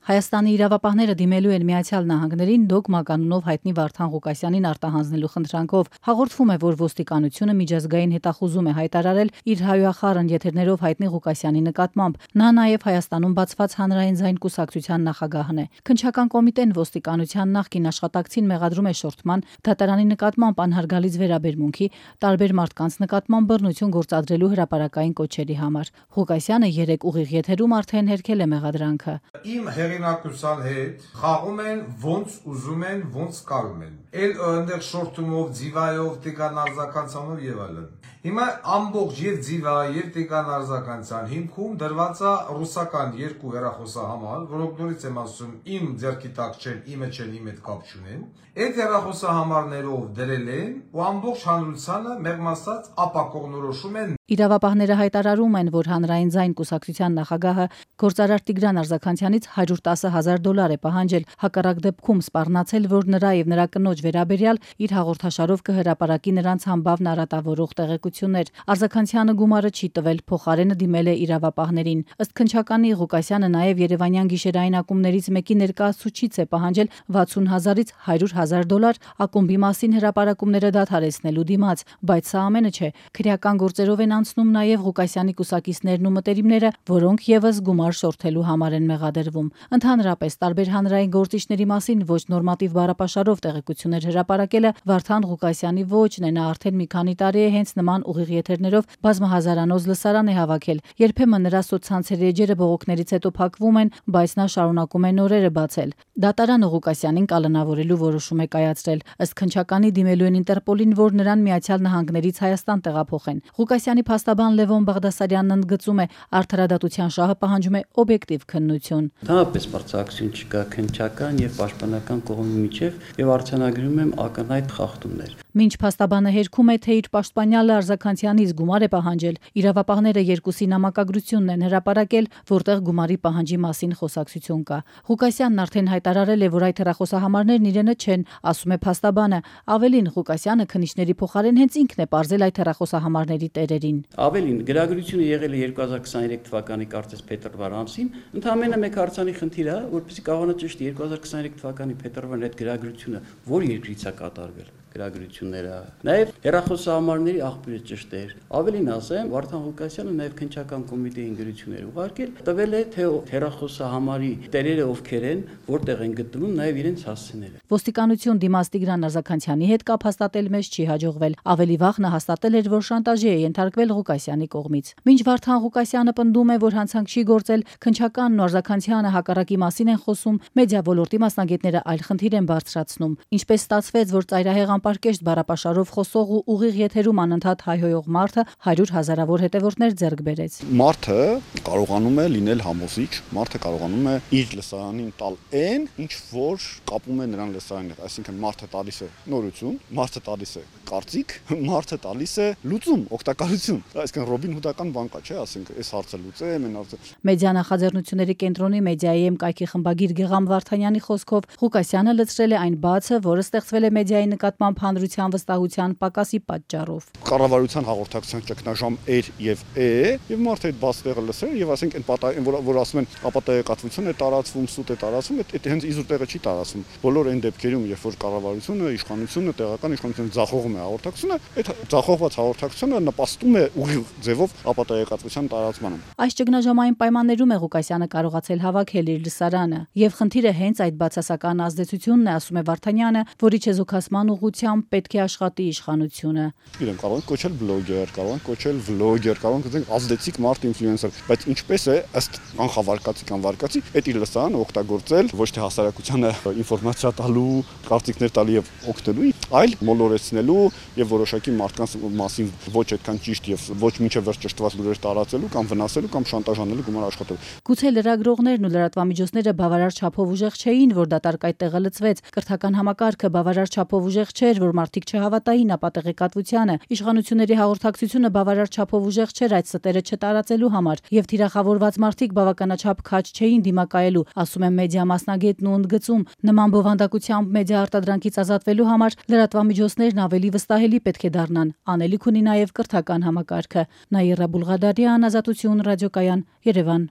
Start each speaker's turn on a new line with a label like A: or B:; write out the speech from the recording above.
A: Հայաստանի իրավապահները դիմելու են Միացյալ Նահանգներին Դոգմա կանոնով հայտնի Վարդան Ղուկասյանին արտահանձնելու խնդրանքով։ Հաղորդվում է, որ ոստիկանությունը միջազգային հետախուզում է հայտարարել իր հայոյախառն եթերներով հայտնի Ղուկասյանի նկատմամբ։ Նա նաև Հայաստանում բացված հանրային ձայն կուսակցության նախագահն է։ Քննչական կոմիտեն ոստիկանության նախկին աշխատակցին մեղադրում է շորթման, դատարանի նկատմամբ անհարգալից վերաբերմունքի, տարբեր մարդկանց նկատմամբ բռնություն գործադրելու հրապարակային կոչերի համար։ Ղուկասյանը 3 ուղիղ եթերում արդեն հերքել է մեղադրանքը։
B: Իմ հեղինակության հետ խաղում են ոնց ուզում են, ոնց կարում են։ Էլ այնտեղ շորթումով, ձիվայով, տիկան արձականցանով եւ այլն։ Հիմա ամբողջ եւ ձիվա եւ տիկան արձականցան հիմքում դրված է ռուսական 2 հեռախոսահամար, որոնք նորից եմ ասում, իմ ձեռքի տակ չեն, իմը չեն, իմ հետ կապ չունեն։ Այդ հեռախոսահամարներով դրել են ու ամբողջ հանրությանը մեղմ ասած ապակողնորոշում են։
A: Իրավապահները հայտարարում են, որ հանրային ձայն կուսակցության նախագահը գործարար Տիգրան Արձականցյանից $110,000 է պահանջել, հակառակ դեպքում սպառնացել, որ նրա եւ նրա կնոջ վերաբերյալ իր հաղորդաշարով կհրապարակի նրանց համբավն արատավորող տեղեկություններ։ Արձականցյանը գումարը չի տվել, փոխարենը դիմել է իրավապահներին։ Ըստ քննչականի Ղուկասյանը նաեւ Երևանյան գիշերային ակումբներից մեկի ներկայացուցիչից է պահանջել $60,000-ից $100,000 ակումբի մասին հրապարակումները դադարեցնելու դիմաց, բայց սա ամենը չէ։ Քրեական գործերով են անցնում նաև Ղուկասյանի կուսակիցներն ու մտերիմները, որոնք եւս գումար շորթելու համար են մեղադրվում։ Ընդհանրապես տարբեր հանրային գործիչների մասին ոչ նորմատիվ բառապաշարով տեղեկություններ հրապարակելը Վարդան Ղուկասյանի ոճն է։ Նա արդեն մի քանի տարի է հենց նման ուղիղ եթերներով բազմահազարանոց լսարան է հավաքել։ Երբեմն նրա սոցցանցերի էջերը բողոքներից հետո փակվում են, բայց նա շարունակում է նորերը բացել։ Դատարանը Ղուկասյանին կալանավորելու որոշում է կայացրել։ Ըստ քննչականի դիմելու են Ինտերպոլին, որ նրան Միացյալ Նահանգներից Հայաստան տեղափոխեն։ Ղուկասյանի փաստաբան Լևոն Բաղդասարյանն ընդգծում է, արդարադատության շահը պահանջում է օբյեկտիվ քննություն։
C: Ընդհանրապես բարձրակցություն չկա քննչական եւ պաշտպանական կողմի միջև եւ արձանագրում եմ ակնհայտ խախտումներ։
A: Մինչ փաստաբանը հերքում է, թե իր պաշտպանյալը Արձականցյանից գումար է պահանջել, իրավապահները երկուսի նամակագրությունն են հրապարակել, որտեղ գումարի պահանջի մասին խոսակցություն կա։ Ղուկասյանն արդեն հայտարարել է, որ այդ հեռախոսահամարներն իրենը չեն, ասում է փաստաբանը։ Ավելին, Ղուկասյանը քննիչների փոխարեն հենց ինքն է պարզել այդ հեռախոսահամարների տերերին։
C: Ավելին, գրագրությունը եղել է 2023 թվականի կարծես փետրվար ամսին, ընդամենը մեկ հարցանի խնդիր է, որպեսզի կարողանա ճշտի 2023 թվականի փետրվարին այդ գրագրությունը որ երկրից է կատարվել գրագրությունները, նաև հեռախոսահամարների աղբյուրը ճշտեր։ Ավելին ասեմ, Վարդան Ղուկասյանը նաև քննչական կոմիտեին գրություններ ուղարկել, տվել է թե հեռախոսահամարի տերերը ովքեր են, որտեղ են գտնվում, նաև իրենց հասցեները։
A: Ոստիկանություն դիմաց Տիգրան Արձականցյանի հետ կապ հաստատել մեզ չի հաջողվել։ Ավելի վաղ նա հաստատել էր, որ շանտաժի է ենթարկվել Ղուկասյանի կողմից։ Մինչ Վարդան Ղուկասյանը պնդում է, որ հանցանք չի գործել, քննչականն ու Արձականցյանը հակառակի մասին են խոսում, մեդիա ոլորտի մասնագետները այլ խնդիր են բարձրացնում։ Ինչպես ստացվեց, որ ծայրահեղ անպարկեշտ բառապաշարով խոսող ու ուղիղ եթերում անընդհատ հայհոյող մարդը 100,000-ավոր հետևորդներ ձեռք բերեց։
D: Մարդը կարողանում է լինել համոզիչ, մարդը կարողանում է իր լսարանին տալ այն, ինչ որ կապում է նրան լսարանին հետ, այսինքն մարդը տալիս է նորություն, մարդը տալիս է կարծիք, մարդը տալիս է լուծում, օգտակարություն։ Այսինքն Ռոբին Հուդական բան կա, չէ՞, ասենք, այս հարցը լուծեմ, այն հարցը։
A: Մեդիա նախաձեռնությունների կենտրոնի մեդիայի կայքի խմբագիր Գեգամ Վարդանյանի խոսքով Ղուկասյանը լցրել է այն բացը, որը ստեղծվել է մեդիայի նկատմամբ հանրության վստահության պակասի պատճառով։
D: Կառավարության հաղորդակցության ճգնաժամ էր եւ է, եւ մարդը այդ բաց տեղը լսել եւ ասենք այն որ ասում են ապատեգատվություն է տարածվում, սուտ է տարածվում, այդ հենց իզուր տեղը չի տարածվում։ Բոլոր այն դեպքերում, երբ որ կառավարությունը, իշխանությունը, տեղական իշխանությունը ձախողում է հաղորդակցությունը, այդ ձախողված հաղորդակցությունը նպաստում է ուղիղ ձևով ապատեգատվության տարածմանը։
A: Այս ճգնաժամային պայմաններում է Ղուկասյանը կարողացել հավաքել իր լսարանը, եւ խնդիրը հենց այդ բացասական ազդեցությունն է, ասում է Վարդանյանը, որի չեզոքացման ուղղությամբ պետք է աշխատի իշխանությունը։
D: Իրեն կարող են կոչել բլոգեր, կարող են կոչել վլոգեր, կարող են կոչել ազդեցիկ մարդ ինֆլուենսեր, բայց ինչպես է ըստ կանխավարկածի, այդ իր լսարանը օգտագործել ոչ թե հասարակությանը ինֆորմացիա տալու, կարծիքներ տալու եւ օգնելու, այլ մոլորեցնելու եւ որոշակի մարդկանց մասին ոչ այդքան ճիշտ եւ ոչ մինչեւ վերջ ճշտված լուրեր տարածելու կամ վնասելու կամ շանտաժանելու գումար աշխատելու։
A: Գուցե լրագրողներն ու լրատվամիջոցները բավարար չափով ուժեղ չէին, որ դատարկ այդ տեղը լծվեց։ Կրթական համակարգը բավարար չափով ուժեղ չէր, որ մարդիկ չհավատային ապատեգատվությանը։ Իշխանությունների հաղորդակցությունը բավարար չափով ուժեղ չէր այդ ստերը չտարածելու համար, եւ թիրախավորված մարդիկ բավականաչափ քաջ չէին դիմակայելու, ասում է մեդիա մասնագետն ու ընդգծում։ Նման բովանդակությամբ մեդիա արտադրանքից ազատվելու համար լրատվամիջոցներն ավելի վստահելի պետք է դառնան։ Անելիք ունի նաեւ կրթական համակարգը։ Նաիրա Բուլղադարյան, Ազատություն ռադիոկայան, Երևան։